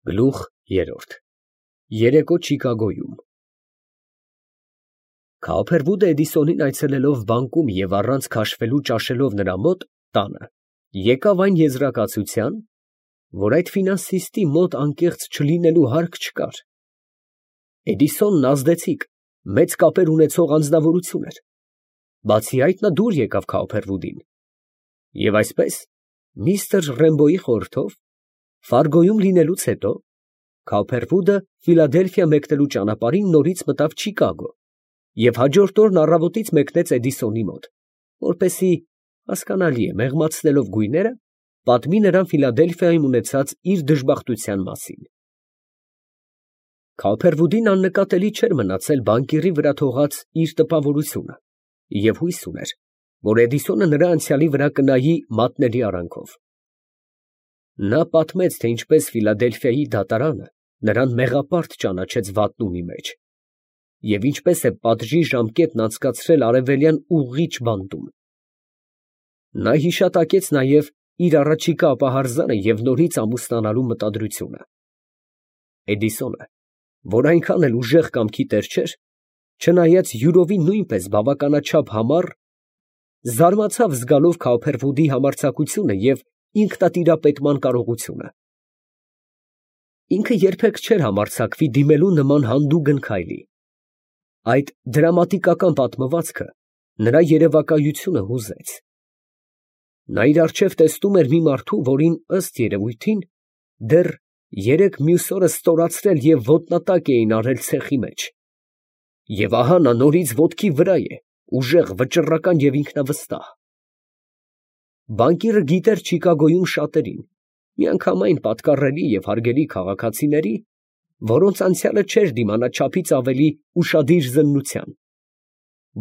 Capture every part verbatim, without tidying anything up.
Գլուխ երրորդ Երեկո Չիկագոյում Քահորգոբլու Էդիսոնին այցելելով բանկում և առանց քաշվելու ճաշելով նրա մոտ տանը, եկավ այն եզրակացության, որ այդ ֆինանսիստի մոտ անկեղծ չլինելու հարկ չկար. Էդիսոնն ազդեցիկ, մեծ կապեր ունեցող անձնավորություն էր, բացի այդ նա դուր եկավ Քահորգոբլուին, և այսպես, միստր Ռեմբոյի խորհրդով, Ֆարգոյում լինելուց հետո, Քահորգոբլուը Ֆիլադելֆիա մեկնելու ճանապարհին նորից մտավ Չիկագո և հաջորդ օրն առավոտից մեկնեց Էդիսոնի մոտ, որպեսզի, հասկանալի է, մեղմացնելով գույները, պատմի նրան Ֆիլադելֆիայում ունեցած իր դժբախտության մասին։ Քահորգոբլուին աննկատելի չէր մնացել բանկիրի վրա թողած իր տպավորությունը և հույս ուներ, որ Էդիսոնը նրա անցյալի վրա կնայի մատնելի արանքով։ Նա պատմեց, թե ինչպես Ֆիլադելֆիայի դատարանը նրան մեղապարտ ճանաչեց վատնումի մեջ և ինչպես է պատժի ժամկետն անցկացրել արևելյան ուղղիչ բանտում։ Նա հիշատակեց նաև իր առաջիկա ապահարզանը և նորից ամուսնանալու մտադրությունը։ Էդիսոնը, որ այնքան էլ ուժեղ կամքի տեր չէր, չնայած յուրովի նույնպես բավականաչափ համառ, զարմացավ զգալով Քահորգոբլուի համարձակությունը և ինքնատիրապետման կարողությունը։ Ինքը երբեք չէր համարձակվի դիմելու նման հանդուգն քայլի։ Այդ դրամատիկական պատմվածքը նրա երևակայությունը հուզեց։ Նա իր առջև տեսնում էր մի մարդու, որին, ըստ երևույթին, դեռ երեկ մյուս օրը ստորացրել և ոտնատակ էին արել ցեխի մեջ, և ահա նա նորից ոտքի վրա է, ուժեղ, վճռական և ինքնավստահ։ Բանկիրը գիտեր Չիկագոյում շատերին, միանգամայն պատկառելի և հարգելի քաղաքացիների, որոնց անցյալը չէր դիմանա չափից ավելի ուշադիր զննության,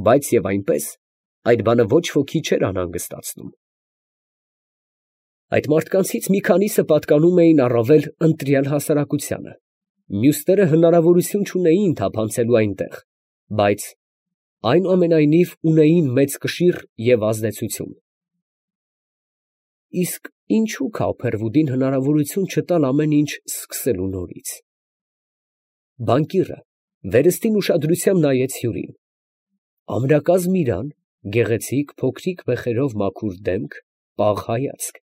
բայց և այնպես, այդ բանը ոչ ոքի չէր անհանգստացնում։ Այդ մարդկանցից մի քանիսը պատկանում էին առավել ընտրյալ հասարակությանը, մյուսները հնարավորություն չունեին թափանցելու այնտեղ, բայց, այնուամենայնիվ, ունեին մեծ կշիռ և ազդեցություն։ Իսկ ինչո՞ւ Քահորգոբլուին հնարավորություն չտալ ամեն ինչ սկսելու նորից։ Բանկիրը վերստին ուշադրությամբ նայեց հյուրին. ամրակազմ իրան, գեղեցիկ, փոքրիկ մեխերով մաքուր դեմք, պաղ հայացք։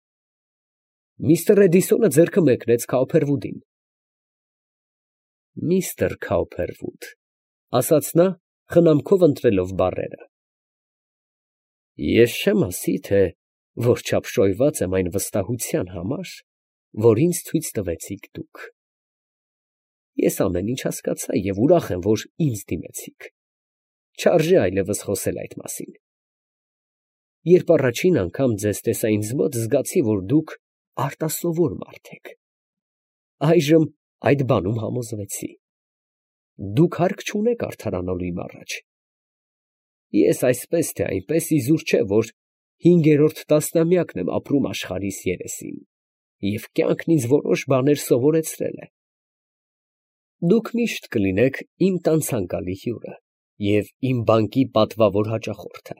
Միստր Էդիսոնը ձեռքը մեկնեց Քահորգոբլուին։ Միստր Քահորգոբլու, ֊ ասաց նա, խնամքով ընտրելով բառերը, ես չեմ ասի, թե որչափ շոյված եմ այն վստահության համար, որ ինձ ցույց տվեցիք դուք. ես ամեն ինչ հասկացա և ուրախ եմ, որ ինձ դիմեցիք, չարժե այլևս խոսել այդ մասին։ Երբ առաջին անգամ ձեզ տեսա ինձ մոտ, զգացի, որ դուք արտասովոր մարդ եք, այժմ այդ բանում համոզվեցի։ Դուք հարկ չունեք արդարանալու իմ առաջ։ Ես այսպես թե այնպես իզուր չէ, որ հինգերորդ տասնամյակն եմ ապրում աշխարհիս երեսին, և կյանքն ինձ որոշ բաներ սովորեցրել է։ Դուք միշտ կլինեք իմ տան ցանկալի հյուրը և իմ բանկի պատվավոր հաճախորդը։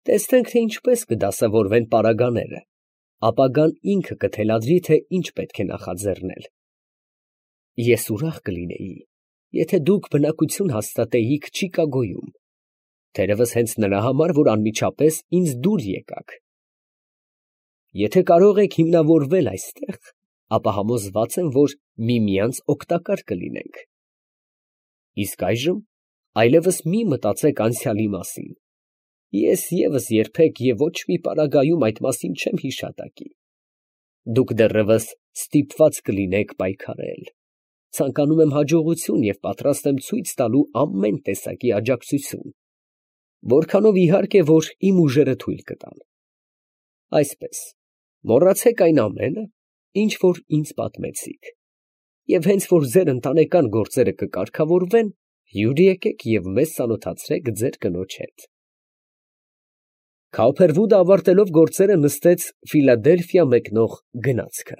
Տեսնենք, թե ինչպես կդասավորվեն պարագաները, ապագան ինքը կթելադրի, թե ինչ պետք է նախաձեռնել։ Ես ուրախ կլինեի, եթե դուք բնակություն հաստատեիք Չիկագոյում, թերևս հենց նրա համար, որ անմիջապես ինձ դուր եկաք։ Եթե կարող եք հիմնավորվել այստեղ, ապա համոզված եմ, որ միմյանց օգտակար կլինենք։ Իսկ այժմ այլևս մի մտածեք անցյալի մասին. ես ևս երբեք և ոչ մի պարագայում այդ մասին չեմ հիշատակի։ Դուք դեռևս ստիպված կլինեք պայքարել։ Ցանկանում եմ հաջողություն և պատրաստ եմ ցույց տալու ամեն տեսակի աջակցություն, որքանով իհարկե, որ իմ ուժերը թույլ կտան։ Այսպես, մոռացեք այն ամենը, ինչ որ ինձ պատմեցիք, և հենց որ ձեր ընտանեկան գործերը կկարգավորվեն, հյուր եկեք և մեզ ծանոթացրեք ձեր կնոջ հետ։ Քահորգոբլուը ավարտելով գործերը նստեց Ֆիլադելֆիա մեկնող գնացքը։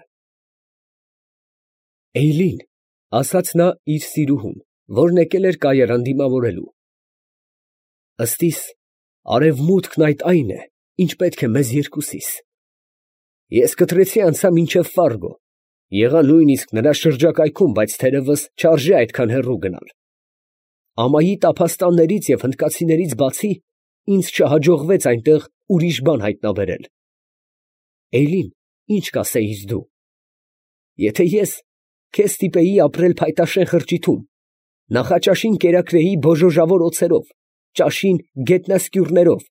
Էյլին, ֊ ասաց նա իր սիրուհուն, որն եկել էր կայարան դիմավորելու, ֊ ըստ իս, արևմուտքն այդ այն է, ինչ պետք է մեզ երկուսիս։ Ես կտրեցի անցա մինչև Ֆարգո, Եղա նույնիսկ նրա շրջակայքում, բայց թերևս չարժե այդքան հեռու գնալ։ Ամայի տափաստաններից և հնդկացիներից բացի, ինձ չհաջողվեց այնտեղ ուրիշ բան հայտնաբերել։ Էյլին, ի՞նչ կասեիր դու։ Եթե ես քեզ ստիպեի ապրել փայտաշեն խրճիթում, նախաճաշին կերակրեի բոժոժավոր օձերով, ճաշին գետնասկյուռներով,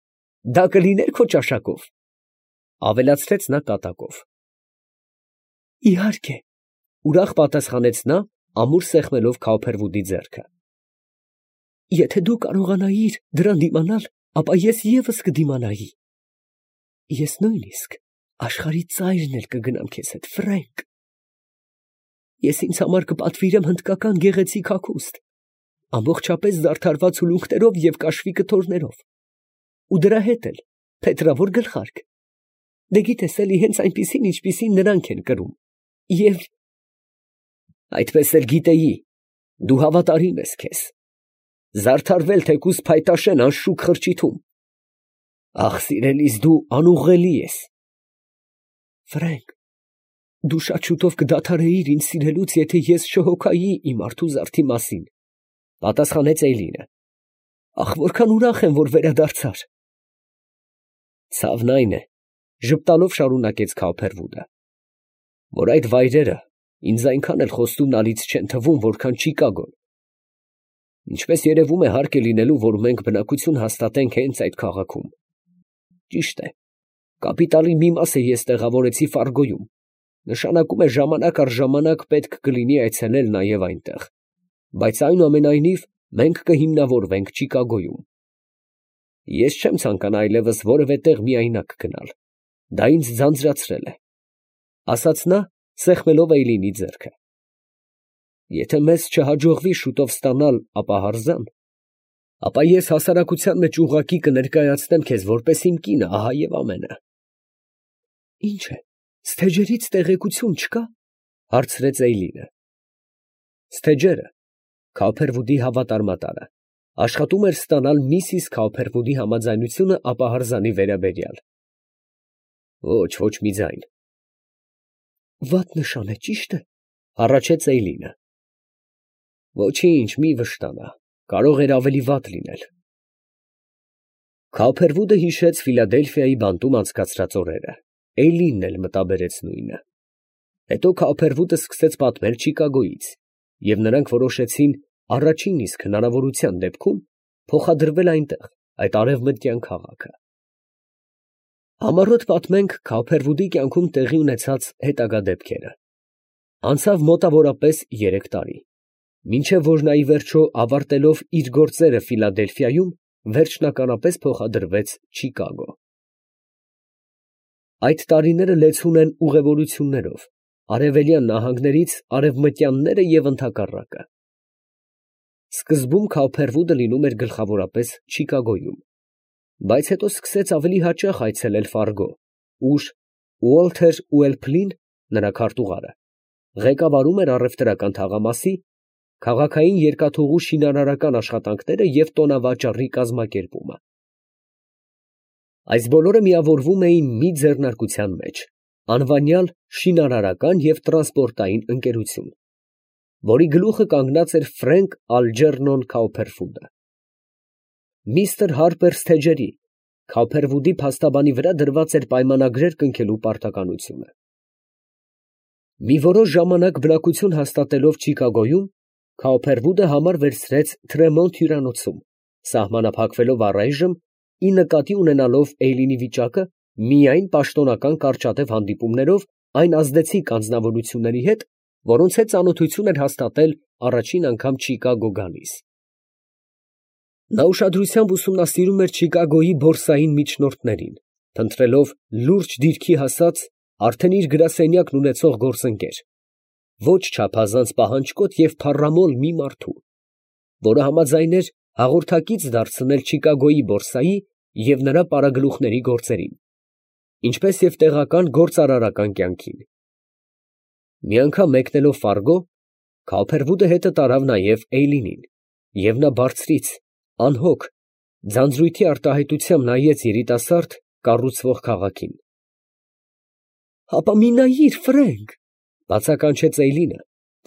դա կլիներ քո ճաշակով, ֊ ավելացրեց նա կատակով։ Իհարկե, ֊ ուրախ պատասխանեց նա, ամուր սեղմելով Քաուփերվուդի ձեռքը։ Եթե դու կարողանայիր դրան դիմանալ, ապա ես ևս կդիմանայի։ Ես նույնիսկ աշխարհի ծայրն էլ կգնամ քեզ հետ, Ֆրենկ։ Ես ինձ համար կպատվիրեմ հնդկական գեղեցիկ հագուստ, ամբողջապես զարդարված ուլունքներով և կաշվի կտորներով, ու դրա հետ էլ փետրավոր գլխարկ, դե գիտես էլի հենց այնպիսին, ինչպիսին նրանք են կրում, և… Այդպես էլ գիտեի, դու հավատարիմ ես քեզ, զարդարվել թեկուզ փայտաշեն անշուք խրճիթում… Ախ, սիրելիս, դու անուղղելի ես… Ֆրենկ, դու շատ շուտով կդադարեիր ինձ սիրելուց, եթե ես չհոգայի իմ արթու զարդի մասին, ֊ պատասխանեց Էյլինը։ Ախ, որքան ուրախ եմ, որ վերադարձար… Ցավն այն է, ֊ ժպտալով շարունակեց Քաուփերվուդը, որ այդ վայրերը ինձ այնքան էլ խոստումնալից չեն թվում, որքան Չիկագոն… Ինչպես երևում է, հարկ է լինելու, որ մենք բնակություն հաստատենք հենց այդ քաղաքում… Ճիշտ է, կապիտալի մի մասը ես տեղավորեցի Ֆարգոյում, նշանակում է ժամանակ առ ժամանակ պետք կլինի այցելել նաև այնտեղ, բայց այնուամենայնիվ մենք կհիմնավորվենք Չիկագոյում… Ես չեմ ցանկանա այլևս որևէ տեղ միայնակ գնալ, դա ինձ ձանձրացրել է, ֊ ասաց նա, սեղմելով Էյլինի ձեռքը։ Եթե մեզ չհաջողվի շուտով ստանալ ապահարզան, ապա ես հասարակության մեջ ուղղակի կներկայացնեմ քեզ որպես իմ կինը, ահա և ամենը։ Ի՞նչ է, Սթեջերից տեղեկություն չկա, ֊ հարցրեց Էյլինը։ Սթեջերը, Քաուփերվուդի հավատարմատարը, աշխատում էր ստանալ միսիս Քաուփերվուդի համաձայնությունը ապահարզանի վերաբերյալ։ Ոչ, ոչ մի ձայն։ Վատ նշան է, ճիշտ է, ֊ հառաչեց Էյլինը։ Ոչինչ, մի վշտանա, կարող էր ավելի վատ լինել։ Քաուփերվուդը հիշեց Ֆիլադելֆիայի բանտում անցկացրած օրերը, Էյլինն էլ մտաբերեց նույնը։ Հետո Քաուփերվուդը սկսեց պատմել Չիկագոյից, և նրանք որոշեցին առաջին իսկ հնարավորության դեպքում փոխադրվել այնտեղ, այդ արևմտյան քաղաքը։ Համառոտ պատմենք Քաուփերվուդի կյանքում տեղի ունեցած հետագա դեպքերը։ Անցավ մոտավորապես երեք տարի, մինչև որ նա ի վերջո ավարտելով իր գործերը Ֆիլադելֆիայում, վերջնականապես փոխադրվեց Չիկագո։ Այդ տարիները լեցուն են ուղևորություններով, արևելյան նահանգներից արևմտյանները և ընդհակառակը։ Սկզբում Քաուփերվուդը լինում էր գլխավորապես Չիկագոյում, բայց հետո սկսեց ավելի հաճախ այցելել Ֆարգո, ուր Ուոլթեր Ուելփլին, նրա քարտուղարը, ղեկավարում էր առևտրական թաղամասի, քաղաքային երկաթուղու շինարարական աշխատանքները և տոնավաճառի կազմակերպումը։ Այս բոլորը միավորվում էին մի ձեռնարկության մեջ, անվանյալ շինարարական և տրանսպորտային ընկերություն, որի գլուխը կանգնած էր Ֆրենկ Ալջերնոն Քաուփերվուդը։ Միսթր Հարպեր Սթեջերի, Քաուփերվուդի փաստաբանի վրա դրված էր պայմանագրեր կնքելու պարտականությունը։ Մի որոշ ժամանակ բնակություն հաստատելով Չիկագոյում, Քաուփերվուդը համար վերցրեց Թրեմոնտ հյուրանոցում, սահմանափակվելով առայժմ, ի նկատի ունենալով Էյլինի վիճակը, միայն պաշտոնական կարճատև հանդիպումներով այն ազդեցիկ անձնավորությունների հետ, որոնց հետ ծանոթություն էր հաստատել առաջին անգամ Չիկագո գալիս։ Նա ուշադրությամբ ուսումնասիրում էր Չիկագոյի բորսային միջնորդներին, փնտրելով լուրջ դիրքի հասած, արդեն իր գրասենյակն ունեցող գործընկեր, ոչ չափազանց պահանջկոտ և փառամոլ մի մարդու, որը համաձայն էր հաղորդակից դարձնել Չիկագոյի բորսայի և նրա պարագլուխների գործերին, ինչպես և տեղական գործարարական կյանքին։ Մի անգամ մեկնելով Ֆարգո, Քաուփերվուդը հետը տարավ նաև Էյլինին, և նա բարձրից, անհոգ, ձանձրույթի արտահայտությամբ նայեց երիտասարդ, կառուցվող քաղաքին։ ֊ Հապա մի նայիր, Ֆրենկ, Բացականչեց Էյլինը,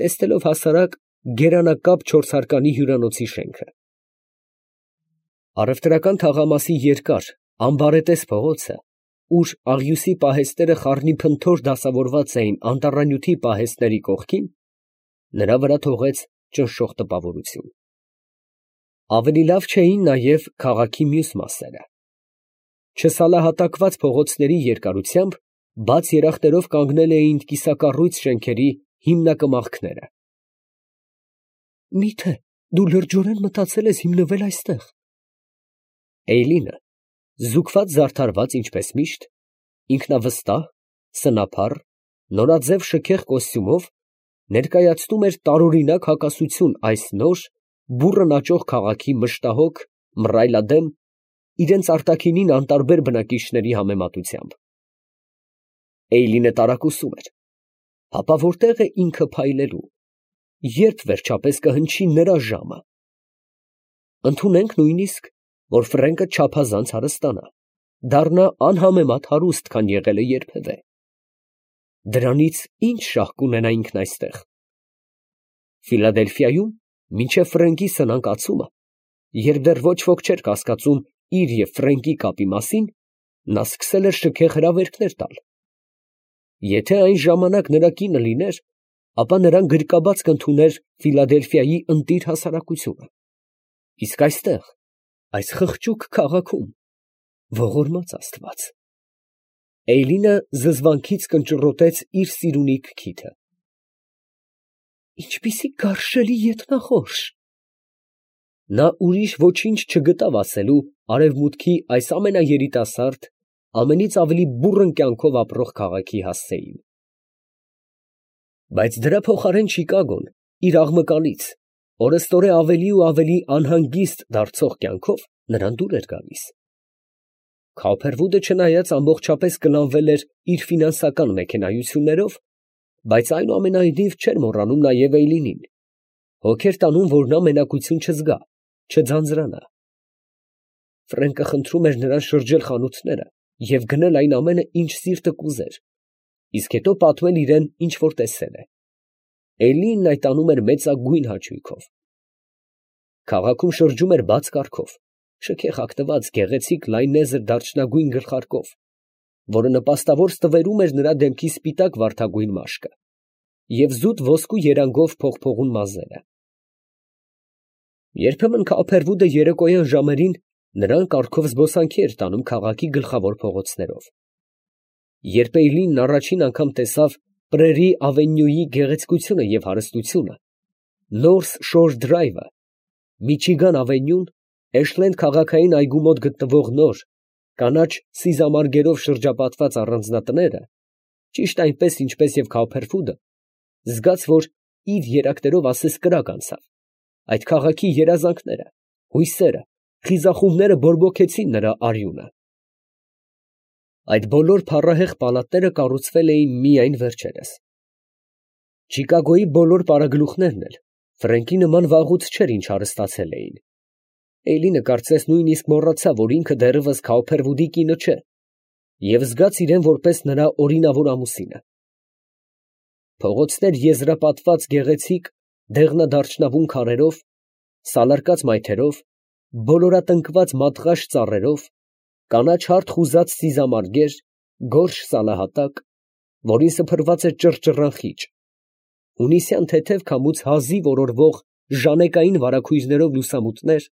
տեսնելով հասարակ գերանակապ չորսհարկանի հյուրանոցի շենքը։ Առևտրական թաղամասի երկար, ամբարետես փողոցը, ուր աղյուսի պահեստները խառնիփնթոր դասավորված էին անտառանյութի պահեստների կողքին, նրա վրա թողեց ճնշող տպավորություն։ Ավելի լավ չէին նաև քաղաքի մյուս մասերը։ Չսալահատակված փողոցների երկարությամբ բաց երախտերով կանգնել էին կիսակառույց շենքերի հիմնակմախքները։ Մի՞թե դու լրջորեն մտածել ես հիմնվել այստեղ։ Էյլինը, զուգված զարդարված ինչպես միշտ, ինքնավստահ, սնափառ, նորաձև շքեղ կոստյումով, ներկայացնում էր տարօրինակ հակասություն այս նոր, բուռն աճող քաղաքի մշտահոգ, մռայլադեմ, իրենց արտաքինին անտարբեր բնակիչների համեմատությամբ։ Էյլինը տարակուսում էր, հապա որտե՞ղ է ինքը փայլելու, երբ վերջապես կհնչի նրա ժամը։ Ընդունենք նույնիսկ, որ Ֆրենկը չափազանց հարստանա, դառնա անհամեմատ հարուստ, քան եղել է երբևէ։ Դրանից ի՞նչ շահ կունենա ինքն այստեղ։ Ֆիլադելֆիայում, մինչև Ֆրենկի սնանկացումը, երբ դեռ ոչ ոք չէր կասկածում իր և Ֆրենկի կապի մասին, նա սկսել էր շքեղ հրավերքներ տալ։ Եթե այն ժամանակ նրա կինը լիներ, ապա նրան գրկաբաց կընդուներ Ֆիլադելֆիայի ընտիր հասարակությունը։ Իսկ այստեղ, այս խղճուկ քաղաքում, ողորմած Աստված… Էյլինը զզվանքից կնճռոտեց իր սիրունիկ քիթը։ Ինչպիսի գարշելի ետնախորշ… Նա ուրիշ ոչինչ չգտավ ասելու արևմուտքի այս ամենաերիտասարդ, ամենից ավելի բուռն կյանքով ապրող քաղաքի հասցեին։ Բայց դրա փոխարեն Չիկագոն իր աղմկալից, օրըստօրե ավելի ու ավելի անհանգիստ դարձող կյանքով նրան դուր էր գալիս։ Քոփերվուդը չնայած ամբողջապես կլանվել էր իր ֆինանսական մեքենայություններով, բայց այնուամենայնիվ չէր մոռանում նաև Էյլինին, հոգ էր տանում, որ նա մենակություն չզգա, չձանձրանա։ Ֆրենկը խնդրում էր նրան շրջել խանութները և գնել այն ամենը, ինչ սիրտը կուզեր, իսկ հետո պատմել իրան, ինչ որ տեսել է։ Էյլինն այդ անում էր մեծագույն հաճույքով։ Քաղաքում շրջում էր բաց կառքով, շքեղ հագնված, գեղեցիկ լայնեզր դարչնագույն գլխարկով, որը նպաստավոր ստվերում էր նրա դեմքի սպիտակ վարդագույն մաշկը և զուտ ոսկու երանգով փողփողուն մազերը։ Երբեմն Քոփերվուդը երեկոյան ժամերին նրան կառքով զբոսանքի էր տանում քաղաքի գլխավոր փողոցներով։ Երբ Էյլինն առաջին անգամ տեսավ Պրերի ավենյուի գեղեցկությունը և հարստությունը, Նորս Շոր Դրայվը, Միչիգան ավենյուն, Էշլենդ քաղաքային այգու մոտ գտնվող նոր, կանաչ սիզամարգերով շրջապատված առանձնատները, ճիշտ այնպես, ինչպես և Քոփերվուդը, զգաց, որ իր երակներով ասես կրակ անցավ, այդ քաղաքի երազանքները, հույսերը, խիզախումբները բորբոքեցին նրա արյունը։ Այդ բոլոր փառահեղ պալատները կառուցվել էին միայն վերջերս։ Չիկագոյի բոլոր պարագլուխներն էլ Ֆրենկի նման վաղուց չէր ինչ հարստացել էին։ Էյլինը կարծես նույնիսկ մոռացավ, որ ինքը դեռևս Քոփերվուդի կինը չէ, և զգաց իրան որպես նրա օրինավոր ամուսինը։ Փողոցներ եզրապատված գեղեցիկ դեղնադարչնավուն քարերով, սալարկած մայթերով, բոլորատնկված մատղաշ ծառերով, կանաչ հարթ խուզած սիզամարգեր, գորշ սալահատակ, որին սփռված էր ճռճռան խիճ, հունիսյան թեթև քամուց հազիվ օրորվող ժանեկային վարագույրներով լուսամուտներ,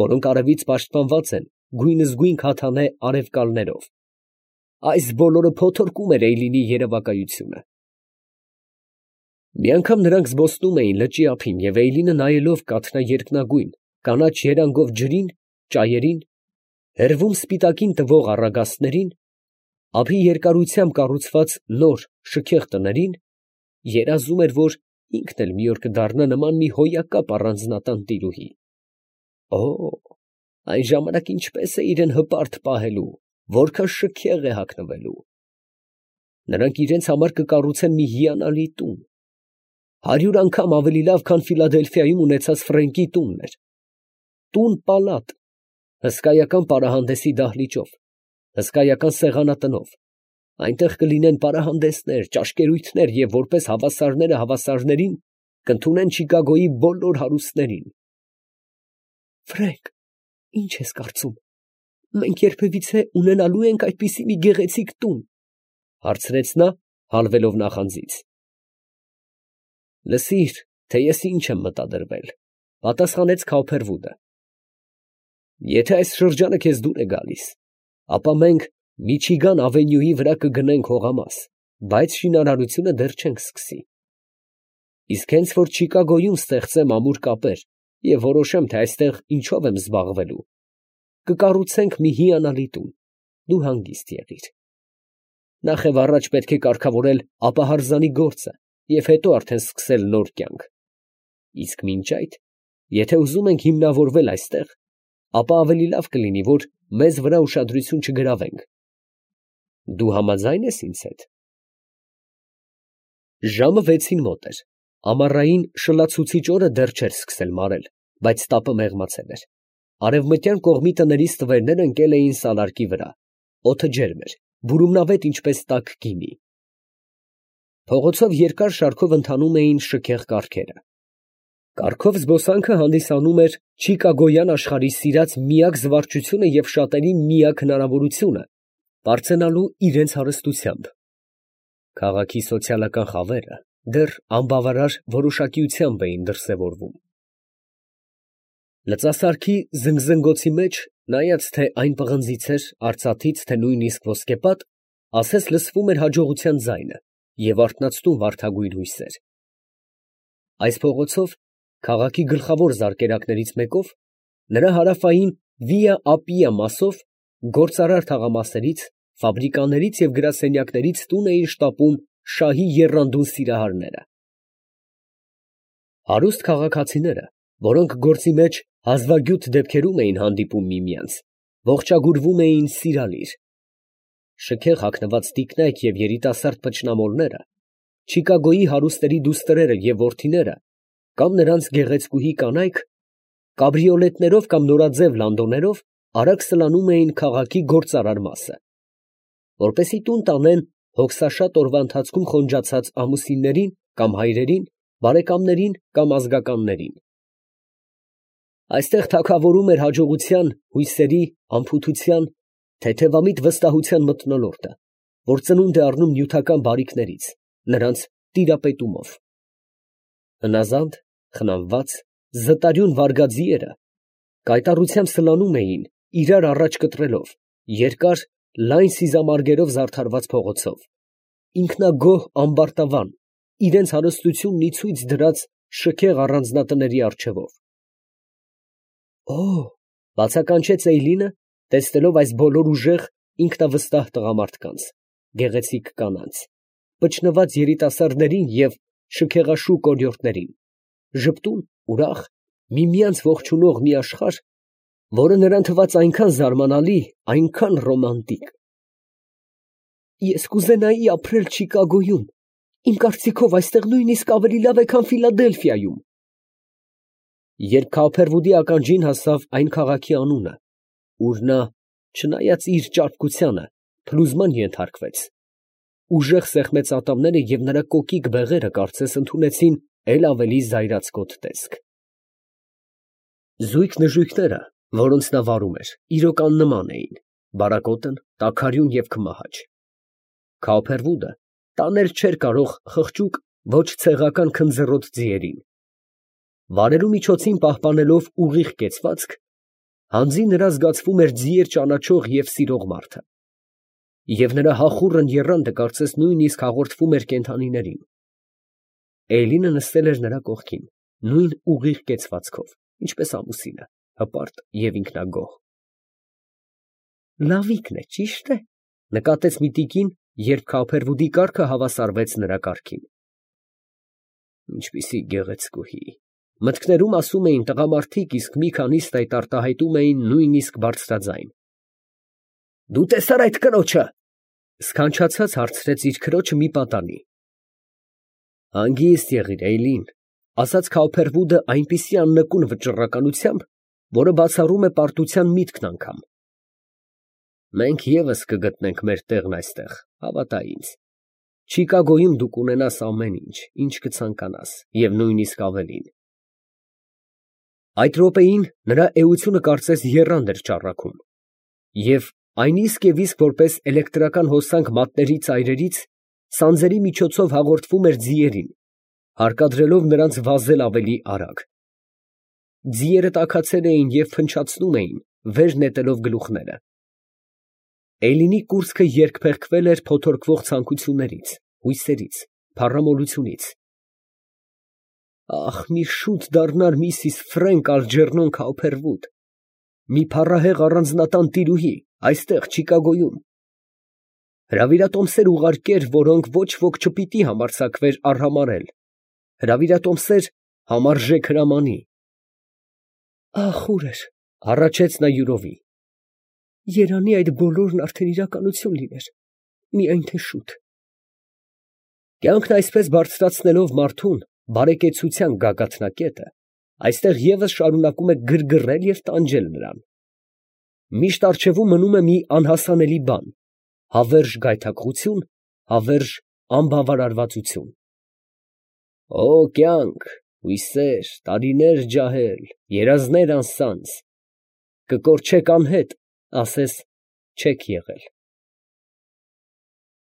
որոնք արևից պաշտպանված են գույնզգույն քաթանե արևկալներով։ Այս բոլորը փոթորկում էր Էյլինի երևակայությունը։ Մի անգամ նրանք զբոսնում էին լճի ափին, և Էյլինը նայելով կաթնաերկնագույն, կանաչ երանգով ջրին, ճայերին, հեռվում սպիտակին տվող առագաստներին, ափի երկարությամբ կառուցված նոր, շքեղ տներին, երազում էր, որ ինքն էլ մի օր կդառնա նման մի հոյակապ առանձնատան տիրուհի։ Օ՜, այն ժամանակ ինչպես է իրան հպարտ պահելու, որքան շքեղ է հագնվելու։ Նրանք իրենց համար կկառուցեն մի հիանալի տուն, հարյուր անգամ ավելի լավ, քան Ֆիլադելֆիայում ունեցած Ֆրենկի տունն էր։ Տուն֊պալատ, հսկայական պարահանդեսի դահլիճով, հսկայական սեղանատնով, Այնտեղ կլինեն պարահանդեսներ, ճաշկերույթներ և որպես հավասարները հավասարներին կընդունեն Չիկագոյի բոլոր հարուստներին։ Ֆրենկ, ի՞նչ ես կարծում, մենք երբևիցե ունենալու ենք այդպիսի մի գեղեցիկ տուն, ֊ հարցրեց նա, հալվելով նախանձից։ Լսիր, թե ես ինչ եմ մտադրվել, ֊ պատասխանեց Քաուփերվուդը. եթե այս շրջանը քեզ դուր է գալիս, ապա մենք Միչիգան ավենյուի վրա կգնենք հողամաս, բայց շինարարությունը դեռ չենք սկսի։ Իսկ հենց որ Չիկագոյում ստեղծեմ ամուր կապեր և որոշեմ, թե այստեղ ինչով եմ զբաղվելու, կկառուցենք մի հիանալի տուն, դու հանգիստ եղիր։ Նախ և առաջ պետք է կարգավորել ապահարզանի գործը և հետո արդեն սկսել նոր կյանք։ Իսկ մինչ այդ, եթե ուզում ենք հիմնավորվել այստեղ, ապա ավելի լավ կլինի, որ մեզ վրա ուշադրություն չգրավենք։ Դու համաձա՞յն ես ինձ հետ։ Ժամը վեցին մոտ էր, ամառային շլացուցիչ օրը դեռ չէր սկսել մարել, բայց տապը մեղմացել էր։ Արևմտյան կողմի տներից տվերներ ընկել էին սալարկի վրա, օդը ջերմ էր, բուրումնավետ ինչպես տաք գինի։ Փողոցով երկար շարքով ընթանում էին շքեղ կառքերը։ Կառքով զբոսանքը հանդիսանում էր Չիկագոյան աշխարհի սիրած միակ զվարճությունը և շատերի միակ հնարավորությունը պարծենալու իրենց հարստությամբ։ Քաղաքի սոցիալական խավերը դեռ անբավարար որոշակիությամբ էին դրսևորվում։ Լծասարքի զնգզնգոցի մեջ, նայած թե այն պղնձից էր, արծաթից, թե նույնիսկ ոսկեպատ, ասես լսվում էր հաջողության ձայնը և արթնացնում վարդագույն հույսեր։ Այս փողոցով, քաղաքի գլխավոր զարկերակներից մեկով, նրա հարավային Վիա Ապիա մասով, գործարար թաղամասերից, ֆաբրիկաներից և գրասենյակներից տուն էին շտապում շահի եռանդուն սիրահարները։ Հարուստ քաղաքացիները, որոնք գործի մեջ հազվագյուտ դեպքերում էին հանդիպում միմյանց, ողջագուրվում էին սիրալիր։ Շքեղ հագնված տիկնայք և երիտասարդ փչնամոլները, Չիկագոյի հարուստերի դուստրերը և որդիները, կամ նրանց գեղեցկուհի կանայք, կաբրիոլետներով կամ նորաձև լանդոներով արագ սլանում էին քաղաքի գործարար մասը, որպեսզի տուն տանեն հոգսաշատ օրվա ընթացքում խոնջացած ամուսիններին կամ հայրերին, բարեկամներին կամ ազգականներին։ Այստեղ թագավորում էր հաջողության, հույսերի, անփութության, թեթևամիտ վստահության մթնոլորտը, որ ծնունդ է առնում նյութական բարիքներից, նրանց տիրապետումով։ Հնազանդ, խնամված, զտարյուն վարգաձիերը կայտառությամբ սլանում էին, իրար առաջ կտրելով, երկար, լայն սիզամարգերով զարդարված փողոցով, ինքնագոհ ամբարտավան, իրենց հարստությունն ի ցույց դրած շքեղ առանձնատների առջևով։ Օ՜, բացականչեց Էյլինը, տեսնելով այս բոլոր ուժեղ, ինքնավստահ տղամարդկանց, գեղեցիկ կանանց, փչնված երիտասարդներին և շքեղաշուք օրիորդներին, ժպտուն, ուրախ, միմյանց ողջունող մի աշխարհ, որը նրան թվաց այնքան զարմանալի, այնքան ռոմանտիկ։ Ես կուզենայի ապրել Չիկագոյում, իմ կարծիքով այստեղ նույնիսկ ավելի լավ է, քան Ֆիլադելֆիայում։ Երբ Քաուփերվուդի ականջին հասավ այն քաղաքի անունը, ուր նա, չնայած իր ճարպկությանը, փլուզման ենթարկվեց, ուժեղ սեղմեց ատամները և նրա կոկիկ բեղերը կարծես ընդունեցին էլ ավելի զայրացկոտ տեսք։ Զույգ նժույգները, որոնց նա վարում էր, իրոք աննման էին, բարակոտն, տաքարյուն և քմահաճ։ Քաուփերվուդը տանել չէր կարող խղճուկ, ոչ ցեղական քնձռոտ ձիերին։ Վարելու միջոցին պահպանելով ուղիղ կեցվածք, հանձին նրա զգացվում էր ձիեր ճանաչող և սիրող մարդը։ Եվ նրա հախուռն եռանդը կարծես նույնիսկ հաղորդվում էր կենդանիներին։ Էյլինը նստել էր նրա կողքին, նույն ուղիղ կեցվածքով, ինչպես ամուսինը, հպարտ և ինքնագոհ։ Լավիկն է, ճի՞շտ է, ֊ նկատեց մի տիկին, երբ Քաուփերվուդի կառքը հավասարվեց նրա կառքին։ Ինչպիսի գեղեցկուհի, մտքներում ասում էին տղամարդիկ, իսկ մի քանիստ այդ արտահայտում էին նույնիսկ բարձրաձայն։ Դու տեսա՞ր այդ կրոջը, ֊ սքանչացած հարցրեց իր քրոջը մի պատանի։ Հանգիստ եղիր, Էյլին, ֊ ասաց Քաուփերվուդը այնպիսի աննկուն վճռականությամբ, որը բացառում է պարտության միտքն անգամ։ Մենք ևս կգտնենք մեր տեղն այստեղ, հավատա ինձ։ Չիկագոյում դու կունենաս ամեն ինչ, ինչ կցանկանաս, և նույնիսկ ավելին։ Այդ րոպեին նրա էությունը կարծես եռանդ էր ճառագում, և այն իսկ և իսկ որպես էլեկտրական հոսանք մատների ծայրերից սանձերի միջոցով հաղորդվում էր ձիերին, հարկադրելով նրանց վազել ավելի արագ։ Ձիերը տաքացել էին և փնչացնում էին, վեր նետելով գլուխները։ Էլինի կուրծքը երկփեղկվել էր փոթորկվող ցանկություններից, հույսերից, փառամոլությունից։ Ահ, մի շուտ դառնար միսիս Ֆրենք Ալջերնոն Քաուփերվուդ, մի փառահեղ առանձնատան տիրուհի, այստեղ Չիկագոյում։ Հրավիրատոմսեր ուղարկեր, որոնք ոչ ոք չպիտի համարձակվեր արհամարհել, հրավիրատոմսեր համարժեք հրամանի։ Ահ, ուր էր, հառաչեց նա յուրովի։ Երանի այդ բոլորն արդեն իրականություն լիներ, միայն թե շուտ։ Կյանքն այսպես բարձրացնելով մարդուն բարեկեցության գագաթնակետը, այստեղ ևս շարունակում է գրգռել և տանջել նրան։ Միշտ առջևում մնում է մի անհասանելի բան, հավերժ գայթակղություն, հավերժ անբավարարվածություն։ Օ կյանք, հույսեր, տարիներ ջահել, երազներ անսանձ, կկորչեք անհետ, ասես չեք եղել։